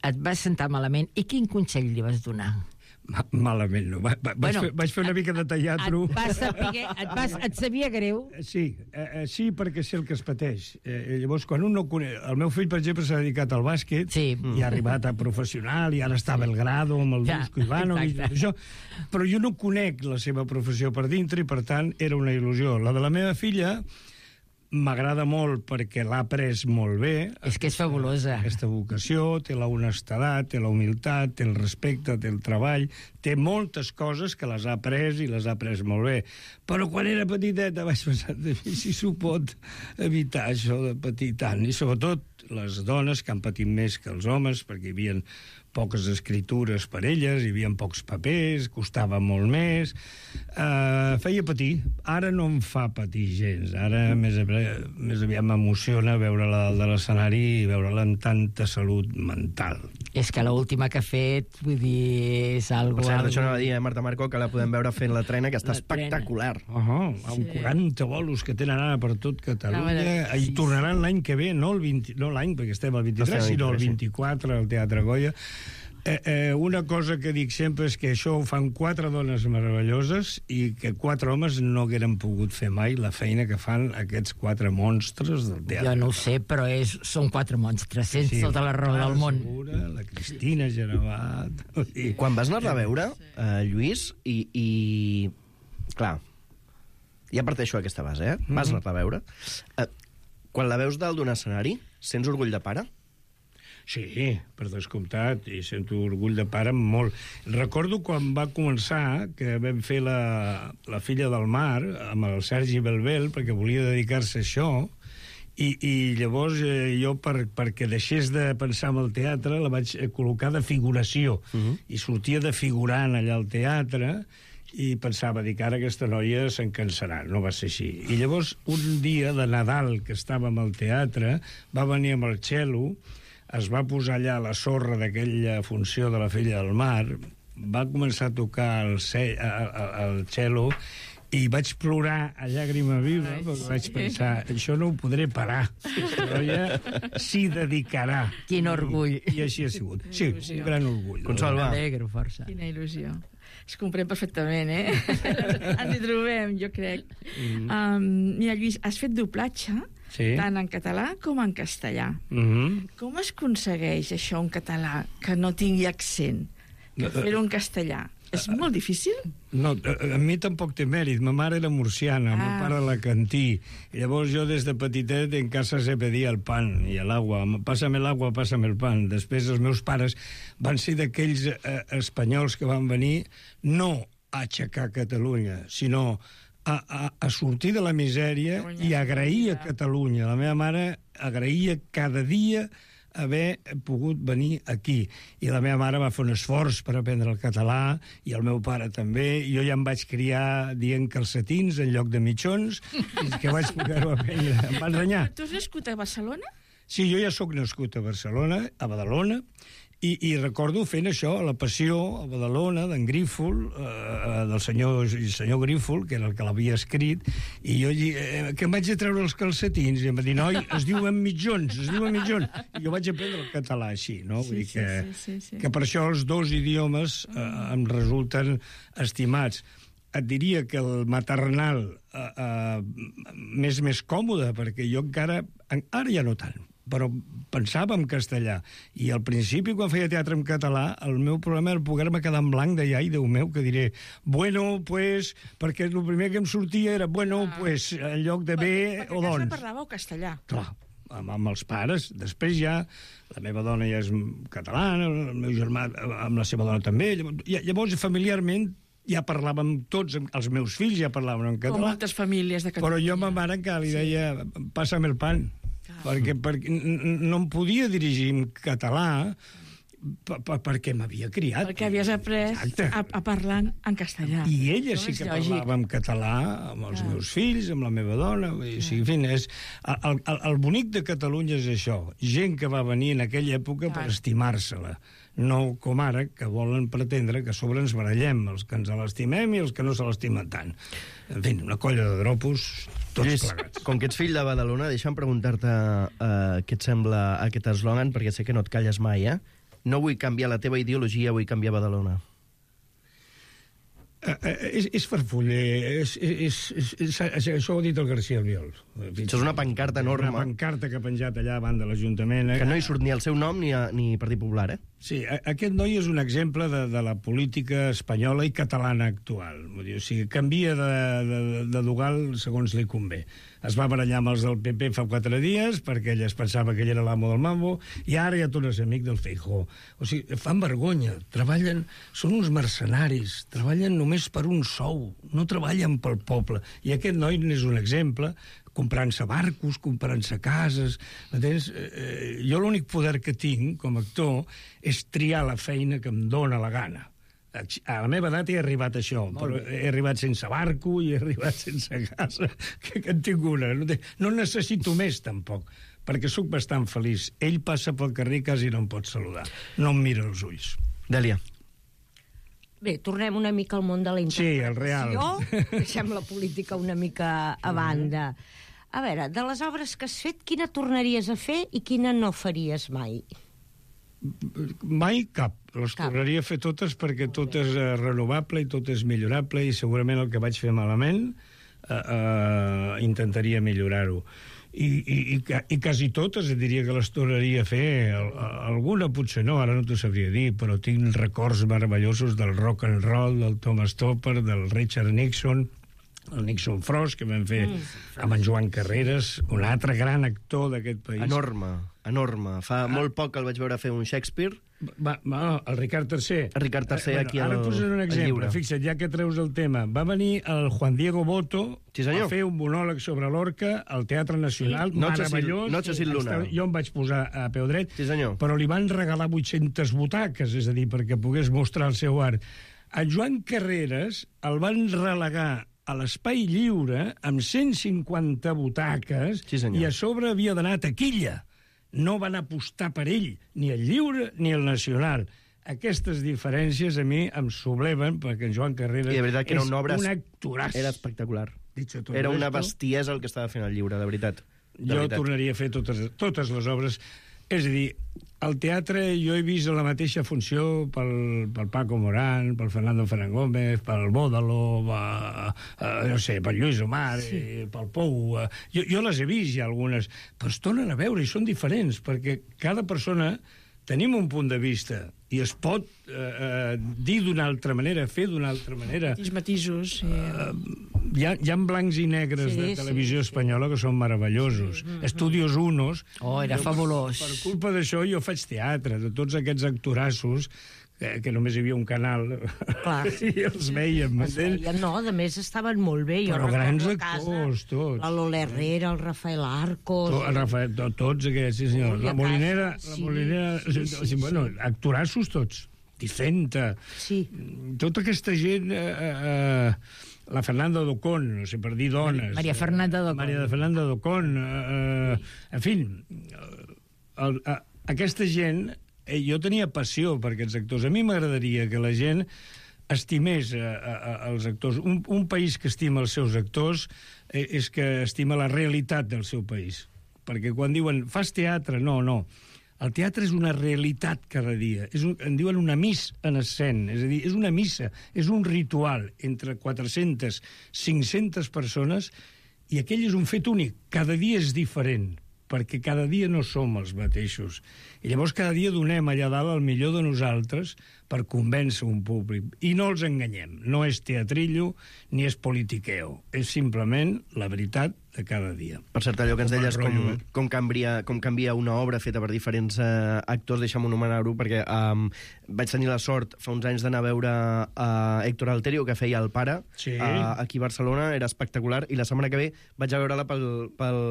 et vas sentar malament i quin consell li vas donar? Ma malament, no. Va, va, Bueno, vaig, fer, vaig fer una mica de teatro. Et, vas saber, et, vas, et sabia greu? Sí, eh, sí, perquè sé el que es pateix. Eh, llavors, quan un no coneix... El meu fill, per exemple, s'ha dedicat al bàsquet sí. i ha arribat a professional i ara està a Belgrado amb el Ja, Dusko Ivanovic i tot això. Però jo no conec la seva professió per dintre i, per tant, era una il·lusió. La de la meva filla m'agrada molt perquè l'ha après molt bé. És que és fabulosa. Aquesta vocació, té la honestedat, té la humilitat, té el respecte, té el treball, té moltes coses que les ha après i les ha après molt bé. Però quan era petiteta vaig pensar si s'ho pot evitar, això de patir tant. I sobretot les dones que han patit més que els homes, perquè hi havia poques escritures per elles, hi havia pocs papers, costava molt més, uh, feia patir. Ara no em fa patir gens, ara més, més aviat m'emociona veure-la de l'escenari i veure-la amb tanta salut mental. És que l'última que ha fet, vull dir, és algo... Per cert, algo... això anava a dir, eh, Marta Marco, que la podem veure fent la trena, que està espectacular. Uh -huh, amb Sí. quaranta bolos que tenen ara per tot Catalunya, i tornaran l'any que ve, no el vint, no l'any, perquè estem al vint-i-tres, sinó el vint-i-quatre al Teatre Goya. Eh, eh, una cosa que dic sempre és que això ho fan quatre dones meravelloses i que quatre homes no hagueren pogut fer mai la feina que fan aquests quatre monstres del teatre. Jo no ho sé, però és, són quatre monstres, sense sí, tota la raó del món. Segura, la Cristina Genevat... I quan vas anar-la a veure, eh, Lluís, i, i... Clar, ja parteixo aquesta base, eh? Vas anar-la a veure. Eh, quan la veus dalt d'un escenari, sents orgull de pare? Sí, per descomptat, i sento orgull de pare molt. Recordo quan va començar, que vam fer la, la Filla del Mar, amb el Sergi Belbel, perquè volia dedicar-se a això, i, i llavors eh, jo, per, perquè deixés de pensar en el teatre, la vaig col·locar de figuració, uh -huh. i sortia de figurant allà al teatre, i pensava, dic, ara aquesta noia se'n cansarà. No va ser així. I llavors, un dia de Nadal, que estàvem al teatre, va venir amb el cello, es va posar allà a la sorra d'aquella funció de la Filla del Mar, va començar a tocar el, ce el cello i vaig plorar a llàgrima viva, Ai, perquè sí. vaig pensar, això no ho podré parar. Aquesta noia s'hi dedicarà. Quin orgull. I, I així ha sigut. Sí, un gran orgull. Consol, va. M'alegro força. Quina il·lusió. Es comprèn perfectament, eh? Ens hi trobem, jo crec. Mm. Um, mira, Lluís, has fet doblatge, sí. tant en català com en castellà. Mm-hmm. Com es aconsegueix això en català, que no tingui accent, que fer-ho en castellà? És molt difícil? No, a, a mi tampoc té mèrit. Ma mare era murciana, ah. meu pare alacantí. I llavors jo des de petitet en casa se pedia el pan i l'aigua. Pásame l'aigua, pásame el pan. Després els meus pares van ser d'aquells eh, espanyols que van venir no a aixecar Catalunya, sinó a, a, a sortir de la misèria i agrair a Catalunya. La meva mare agraïa cada dia haver pogut venir aquí. I la meva mare va fer un esforç per aprendre el català, i el meu pare també. Jo ja em vaig criar dient calcetins en lloc de mitjons, i que vaig poder-ho aprendre. Em va ensenyar. Tu has nascut a Barcelona? Sí, jo ja sóc nascut a Barcelona, a Badalona, i, i recordo fent això, a la Passió, a Badalona, d'en Grífol, eh, del senyor, senyor Grífol, que era el que l'havia escrit, i jo eh, que em vaig a treure els calcetins, i em va dir, noi, es diuen mitjons, es diuen mitjons. I jo vaig aprendre el català així, no? Vull dir que, sí, sí, sí, sí. que per això els dos idiomes eh, em resulten estimats. Et diria que el maternal eh, eh, m'és més còmode, perquè jo encara, ara ja no tant, però pensava en castellà. I al principi, quan feia teatre en català, el meu problema era poder-me quedar en blanc de ai, Déu meu, que diré, bueno, pues, perquè el primer que em sortia era, bueno, ah. pues, en lloc de bé o doncs. Perquè parlàveu castellà. Clar, amb, amb els pares. Després ja, la meva dona ja és catalana, el meu germà amb la seva dona també. Llavors, llavors familiarment, ja parlàvem tots, els meus fills ja parlaven en català. Com moltes famílies de Catalunya. Però jo a ma mare encara li deia, passa'm el pan. Perquè, perquè no em podia dirigir en català per, per, perquè m'havia criat. Perquè havies après a, a parlar en castellà. I ella sí que parlava en català amb els ah. meus fills, amb la meva dona. Ah. O sigui, en fi, és, el, el, el bonic de Catalunya és això. Gent que va venir en aquella època ah. per estimar-se-la. No com ara, que volen pretendre que a sobre ens barallem, els que ens l'estimem i els que no se l'estimen tant. En fi, una colla de dropos, tots Lluís, plegats. Com que ets fill de Badalona, deixa'm preguntar-te uh, què et sembla aquest eslògan, perquè sé que no et calles mai, eh? No vull canviar la teva ideologia, vull canviar Badalona. Uh, uh, és, és farfuller, és, és, és, és, és, això ho ha dit el García Albiol. Això és una pancarta enorme. Una pancarta que ha penjat allà davant de l'Ajuntament. Que no hi surt ni el seu nom ni, a, ni Partit Popular, eh? Sí, a, aquest noi és un exemple de, de la política espanyola i catalana actual. Vull dir, o sigui, canvia de, de, de Dugal segons li convé. Es va barallar amb els del P P fa quatre dies perquè ell es pensava que ell era l'amo del mambo, i ara ja torna a ser amic del Feijóo. O sigui, fan vergonya, treballen, són uns mercenaris, treballen només per un sou, no treballen pel poble. I aquest noi n'és un exemple, comprant-se barcos, comprant-se cases. Entens? Eh, jo l'únic poder que tinc com a actor és triar la feina que em dóna la gana. A la meva edat he arribat a això, però he arribat sense barco i he arribat sense casa, que, que en tinc una. No, no necessito més, tampoc, perquè sóc bastant feliç. Ell passa pel carrer i quasi no em pot saludar. No em mira als ulls. Dèlia. Bé, tornem una mica al món de la interpretació. Sí, el real. Deixem la política una mica a banda. A veure, de les obres que has fet, quina tornaries a fer i quina no faries mai? Mai cap. Les cap. tornaria a fer totes perquè tot és uh, renovable i tot és millorable, i segurament el que vaig fer malament uh, uh, intentaria millorar-ho. I, i, i, i quasi totes diria que les tornaria a fer. Alguna potser no, ara no t'ho sabria dir, però tinc records meravellosos del rock and roll, del Thomas Topper, del Richard Nixon, el Nixon Frost, que vam fer mm. amb en Joan Carreras, un altre gran actor d'aquest país. Enorme, enorme. Fa ah. molt poc que el vaig veure fer un Shakespeare. Va, va, el Ricard tercer. El Ricard tercer, eh, aquí bueno, al Ara posaré un exemple, fixa't, ja que treus el tema. Va venir el Juan Diego Boto sí, a fer un monòleg sobre l'Orca al Teatre Nacional, sí. meravellós. Noche sin luna. Jo em vaig posar a peu dret, sí, però li van regalar vuit-centes butaques, és a dir, perquè pogués mostrar el seu art. A Joan Carreras el van relegar a l'Espai Lliure amb cent cinquanta butaques sí, i a sobre havia d'anar a taquilla. No van apostar per ell, ni el Lliure ni el Nacional. Aquestes diferències a mi em subleven, perquè en Joan Carreras que era és una obra, un actoràs. Era espectacular. Era esto, una esto, bestiesa el que estava fent el Lliure, de veritat. De jo veritat. tornaria a fer totes, totes les obres. És a dir, al teatre jo he vist la mateixa funció pel, pel Paco Morán, pel Fernando Fernández Gómez, pel Bódalo, va, uh, no sé, pel Lluís Omar, sí. eh, pel Pou. Uh, jo, jo les he vist ja algunes, però es tornen a veure i són diferents, perquè cada persona tenim un punt de vista i es pot eh, eh, dir d'una altra manera, fer d'una altra manera. Matís, matisos. Sí. Uh, hi, ha, hi ha blancs i negres Sí, de sí, televisió sí. espanyola que són meravellosos. Mm, mm, Estudios Unos. Oh, era Jo, fabulós. Per culpa d'això jo faig teatre, de tots aquests actorassos, que, que només hi havia un canal, Clar. i els veiem. Es veien, no, a més estaven molt bé. Jo Però grans recordo a casa actors, tots. La Lola Herrera, el Rafael Arcos... To, Rafael, to, tots aquests, sí senyor. Ui, La a Molinera, casa, la sí, Molinera, sí, sí, sí, sí, bueno, sí. actorassos tots. Dicenta. Sí. Tota aquesta gent... Eh, eh, la Fernanda Docón, no sé per dir dones. Maria Fernanda Docón. Maria Fernanda Docón. Eh, en fi, el, a, aquesta gent... Eh, jo tenia passió per aquests actors. A mi m'agradaria que la gent estimés a, a, a, els actors. Un, un país que estima els seus actors eh, és que estima la realitat del seu país. Perquè quan diuen, fas teatre, no, no. El teatre és una realitat cada dia. És un, en diuen una miss en escena. És a dir, és una missa, és un ritual entre quatre-centes, cinc-centes persones, i aquell és un fet únic. Cada dia és diferent, perquè cada dia no som els mateixos. I llavors cada dia donem allà dalt el millor de nosaltres per convèncer un públic. I no els enganyem. No és teatrillo ni és politiqueo. És simplement la veritat de cada dia. Per cert, allò que ens Com el deies, com, rotllo, eh? com, canvia, com canvia una obra feta per diferents eh, actors, deixa'm anomenar-ho, perquè um, vaig tenir la sort fa uns anys d'anar a veure uh, Héctor Alterio, que feia el pare, Sí. uh, aquí a Barcelona, era espectacular, i la setmana que ve vaig a veure-la pel, pel,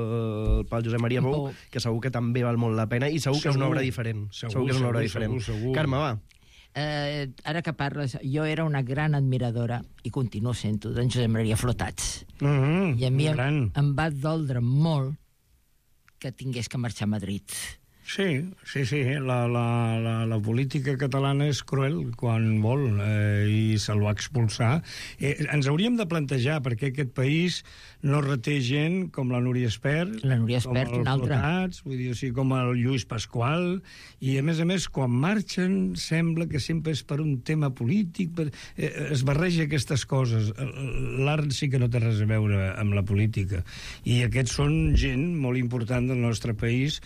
pel Josep Maria Bou, Oh. que segur que també val molt la pena, i segur, segur que és una obra diferent. Segur, segur que és una obra segur, diferent. segur, segur. Carme, va. Eh, ara que parles, jo era una gran admiradora, i continuo sent-ho, d'en Josep Maria Flotats. Mm -hmm, I a mi em, gran. em va doldre molt que tingués que marxar a Madrid. Sí, sí, sí. La, la, la, la política catalana és cruel quan vol eh, i se'l va expulsar. Eh, ens hauríem de plantejar perquè aquest país no reté gent com la Núria Espert, La Núria Espert, com el una altra. Flotats, vull dir, o sigui, com el Lluís Pasqual, i a més a més, quan marxen, sembla que sempre és per un tema polític, per, eh, es barreja aquestes coses. L'art sí que no té res a veure amb la política. I aquests són gent molt important del nostre país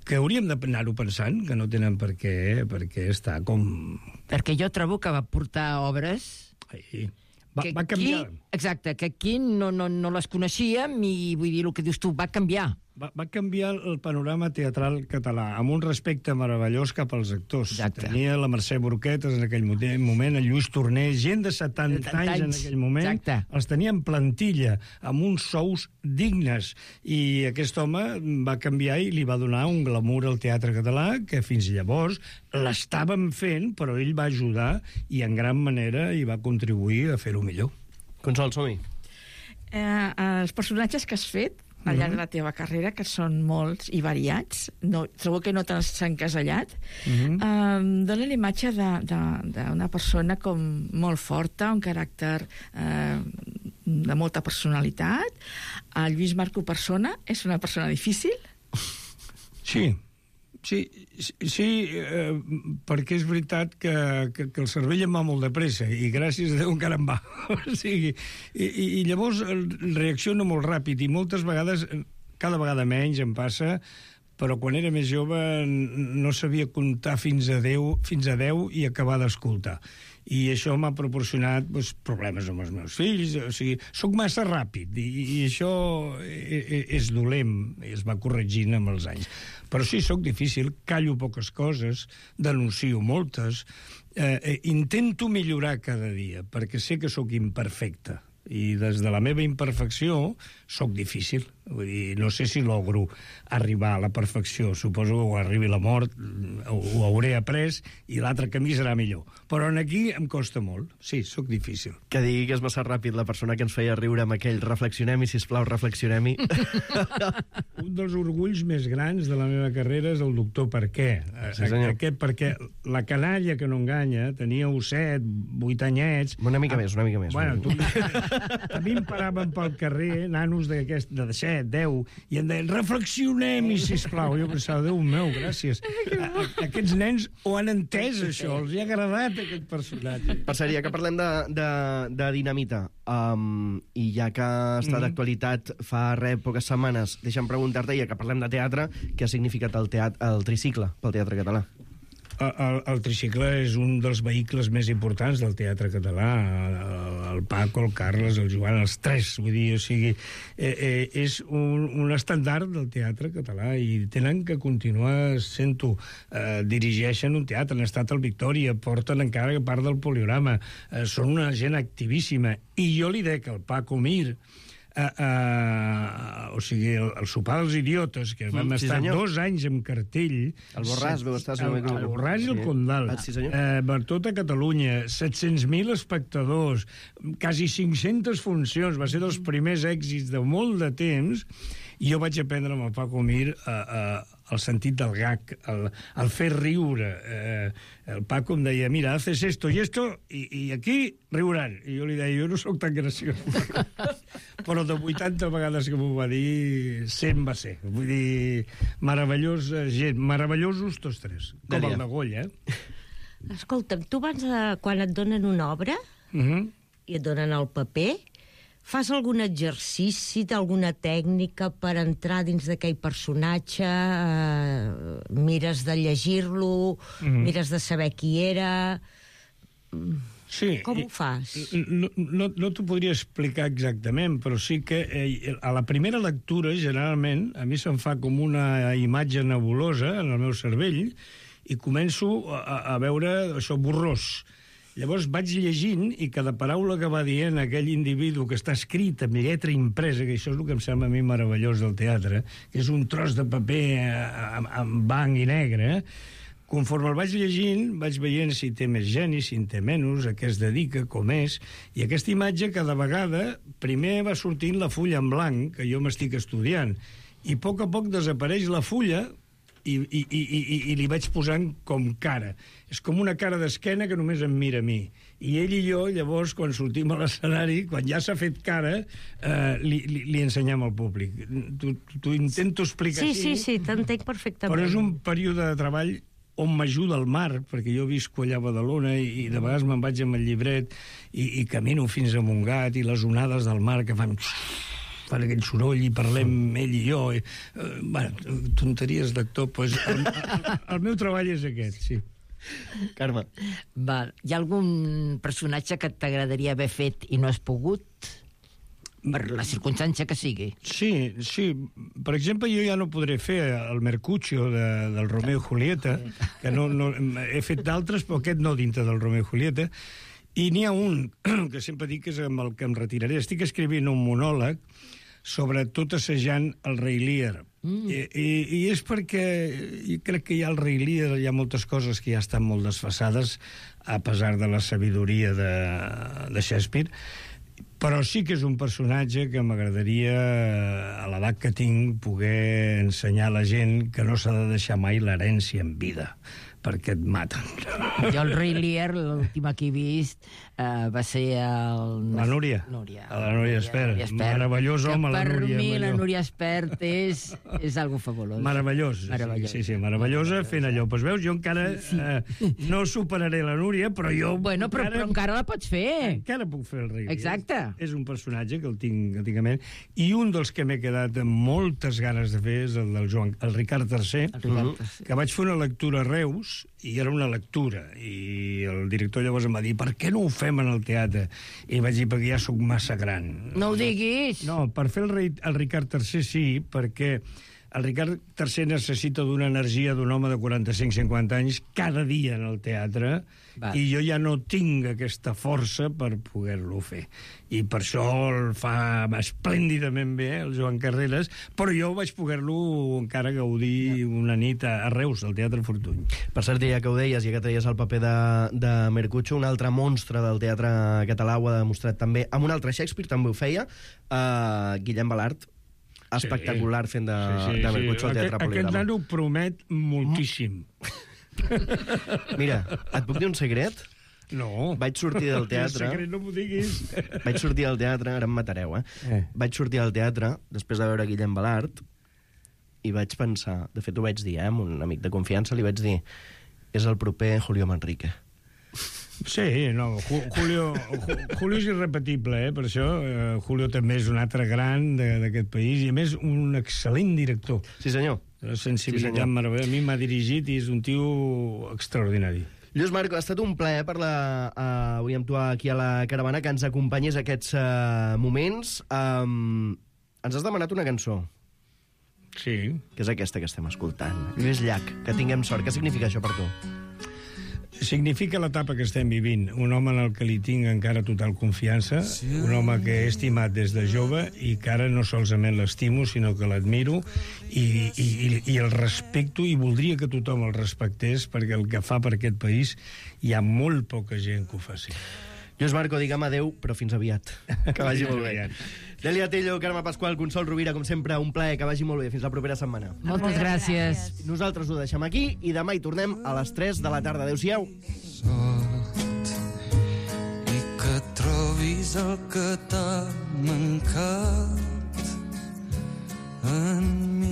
que hauríem d'anar-ho pensant, que no tenen per què, perquè està com... Perquè jo trobo que va portar obres... Ai, va, que va canviar. Aquí, exacte, que aquí no, no, no les coneixíem i vull dir el que dius tu, va canviar. Va, va canviar el panorama teatral català, amb un respecte meravellós cap als actors. Exacte. Tenia la Mercè Burquetes en aquell moment, el Lluís Torner, gent de setanta anys en aquell moment, Exacte. els tenia en plantilla, amb uns sous dignes, i aquest home va canviar i li va donar un glamour al teatre català que fins llavors l'estàvem fent, però ell va ajudar i en gran manera hi va contribuir a fer-ho millor. Consol, som-hi. Eh, els personatges que has fet al llarg de la teva carrera, que són molts i variats, no, trobo que no t'has encasellat, Mhm. eh, dona la imatge d'una persona com molt forta, un caràcter eh, de molta personalitat. El Lluís Marco persona és una persona difícil? Sí, sí, sí eh, perquè és veritat que, que, que el cervell em va molt de pressa i gràcies a Déu encara em va. O sigui, i, i, i llavors reacciono molt ràpid i moltes vegades, cada vegada menys em passa, però quan era més jove no sabia comptar fins a deu, fins a deu i acabar d'escoltar. I això m'ha proporcionat doncs, problemes amb els meus fills. O sigui, soc massa ràpid i, i això és dolent, i es va corregint amb els anys. Però sí, soc difícil, callo poques coses, denuncio moltes, eh, eh, intento millorar cada dia, perquè sé que sóc imperfecte. I des de la meva imperfecció soc difícil. Vull dir, no sé si logro arribar a la perfecció. Suposo que quan arribi la mort ho, ho hauré après i l'altre camí serà millor. Però en aquí em costa molt. Sí, sóc difícil. Que digui que és massa ràpid la persona que ens feia riure amb aquell reflexionem-hi, sisplau, reflexionem-hi. Un dels orgulls més grans de la meva carrera és el doctor Per què. Sí, senyor. Aquest perquè la canalla que no enganya, teníeu set, vuit anyets... Una mica més, una mica més. Bueno, tu... A mi em paraven pel carrer, nanos d'aquest, de set, deu, i em deien, reflexionem-hi, sisplau. Jo pensava, Déu meu, gràcies. A, a, aquests nens ho han entès, això, els hi ha agradat aquest personatge. Per cert, ja que parlem de, de, de Dinamita, um, i ja que està Mhm. d'actualitat fa res, poques setmanes, deixa'm preguntar-te, ja que parlem de teatre, què ha significat el, teatre, el tricicle pel teatre català? El, el tricicle és un dels vehicles més importants del teatre català. El, el Paco, el Carles, el Joan, els tres, vull dir, o sigui, eh, eh, és un, un estandard del teatre català i tenen que continuar sent-ho. Eh, dirigeixen un teatre, han estat al Victòria, porten encara part del Poliorama, eh, són una gent activíssima. I jo li dec al Paco Mir, Uh, uh, o sigui, el, el sopar dels idiotes, que vam mm, sí, estar senyor. dos anys amb cartell. El Borràs, veu estar... El, el Borràs i el Condal. Ah, sí, senyor. Uh, per tota Catalunya, set-cents mil espectadors, quasi cinc-centes funcions, va ser dels primers èxits de molt de temps, i jo vaig aprendre amb el Paco Mir uh, uh, el sentit del gag, el, el fer riure. Uh, el Paco em deia, mira, haces esto y esto, i, i aquí riuran. I jo li deia, jo no sóc tan graciós. Però de vuitanta vegades que m'ho va dir, cent va ser. Vull dir, meravellós, gent, meravellosos tots tres. Com Dèlia. el de Goya, eh? Escolta'm, tu abans, de, quan et donen una obra Uh -huh. i et donen el paper, fas algun exercici d'alguna tècnica per entrar dins d'aquell personatge? Eh, mires de llegir-lo, Mhm. mires de saber qui era... Sí. Com ho fas? No, no, no t'ho podria explicar exactament, però sí que eh, a la primera lectura, generalment, a mi se'm fa com una imatge nebulosa en el meu cervell i començo a, a veure això borrós. Llavors vaig llegint i cada paraula que va dient aquell individu que està escrit amb lletra impresa, que això és el que em sembla a mi meravellós del teatre, que és un tros de paper amb, amb blanc i negre, conforme el vaig llegint, vaig veient si té més geni, si en té menys, a què es dedica, com és, i aquesta imatge cada vegada primer va sortint la fulla en blanc, que jo m'estic estudiant, i a poc a poc desapareix la fulla i, i, i, i, i li vaig posant com cara. És com una cara d'esquena que només em mira a mi. I ell i jo, llavors, quan sortim a l'escenari, quan ja s'ha fet cara, eh, li, li, li ensenyem al públic. T'ho intento explicar Sí, així. sí, sí, t'entenc perfectament. Però és un període de treball on m'ajuda el mar, perquè jo visco allà a Badalona i, i de vegades me'n vaig amb el llibret i, i camino fins a Montgat i les onades del mar que fan... fan aquell soroll i parlem ell i jo. I, eh, bueno, tonteries d'actor, doncs el, el, el meu treball és aquest, sí. Carme. Val. Hi ha algun personatge que t'agradaria haver fet i no has pogut? Per la circumstància que sigui. Sí, sí. Per exemple, jo ja no podré fer el Mercutio de, del Romeo i Julieta, que no, no, he fet d'altres, però aquest no dintre del Romeo i Julieta. I n'hi ha un que sempre dic que és amb el que em retiraré. Estic escrivint un monòleg sobre tot assajant el Rei Lear. Mm. I, i, I és perquè jo crec que hi ha el Rei Lear, hi ha moltes coses que ja estan molt desfasades, a pesar de la sabidoria de, de Shakespeare, però sí que és un personatge que m'agradaria, a l'edat que tinc, poder ensenyar a la gent que no s'ha de deixar mai l'herència en vida, perquè et maten. Jo el Rei Lear, l'última que he vist, uh, va ser el... La Núria. Núria. La Núria Espert. Meravellós home, la Núria. Per mi allò. la Núria Espert és, és algo fabulós. Meravellós. Meravellós. Sí, sí, meravellosa fent allò. Pues veus, jo encara sí. eh, no superaré la Núria, però jo... Bueno, però encara, però encara la pots fer. Encara puc fer el Rei. Exacte. És un personatge que el tinc antigament. I un dels que m'he quedat amb moltes ganes de fer és el del Joan, el Ricard tercer, el Ricard tercer. Que vaig fer una lectura a Reus, i era una lectura, i el director llavors em va dir, per què no ho fem en el teatre? I vaig dir, perquè ja sóc massa gran. No ho diguis! No, per fer el, rei, el Ricard tercer sí, perquè el Ricard tercer necessita d'una energia d'un home de quaranta-cinc cinquanta anys cada dia en el teatre, va. I jo ja no tinc aquesta força per poder-lo fer. I per això el fa esplèndidament bé, el Joan Carreras, però jo vaig poder-lo encara gaudir ja. una nit a Reus, al Teatre Fortuny. Per cert, ja que ho deies, ja que treies el paper de, de Mercutio, un altre monstre del teatre català ho ha demostrat també, amb un altre Shakespeare també ho feia, uh, Guillem Balart, espectacular fent de, sí, sí, de Mercutio al Teatre Poliorama. Aquest nano promet moltíssim. Mira, et puc dir un secret? No. Vaig sortir del teatre... El secret no m'ho diguis. Vaig sortir del teatre, ara em matareu, eh? eh? Vaig sortir del teatre, després de veure Guillem Balart, i vaig pensar... De fet, ho vaig dir, eh? Amb un amic de confiança li vaig dir és el proper Julio Manrique. Sí, no, Julio, Julio és irrepetible, eh, per això. Uh, Julio també és un altre gran d'aquest país i, a més, un excel·lent director. Sí, senyor. La sensibilitat sí, meravellosa. A mi m'ha dirigit i és un tio extraordinari. Lluís Marco, ha estat un plaer parlar uh, avui amb tu aquí a la caravana, que ens acompanyés aquests uh, moments. Um, ens has demanat una cançó. Sí. Que és aquesta que estem escoltant. Lluís Llach, que tinguem sort. Què significa això per tu? Significa l'etapa que estem vivint. Un home en el que li tinc encara total confiança, un home que he estimat des de jove i que ara no solament l'estimo, sinó que l'admiro i, i, i el respecto, i voldria que tothom el respectés, perquè el que fa per aquest país hi ha molt poca gent que ho faci. Lluís Marco, digue'm adeu, però fins aviat. Que vagi molt bé. Delia Tello, Carme Pasqual, Consol Rovira, com sempre, un plaer, que vagi molt bé. Fins la propera setmana. Moltes gràcies. Nosaltres ho deixem aquí i demà hi tornem a les tres de la tarda. Adéu-siau. Sort i que trobis el que t'ha mancat en mi.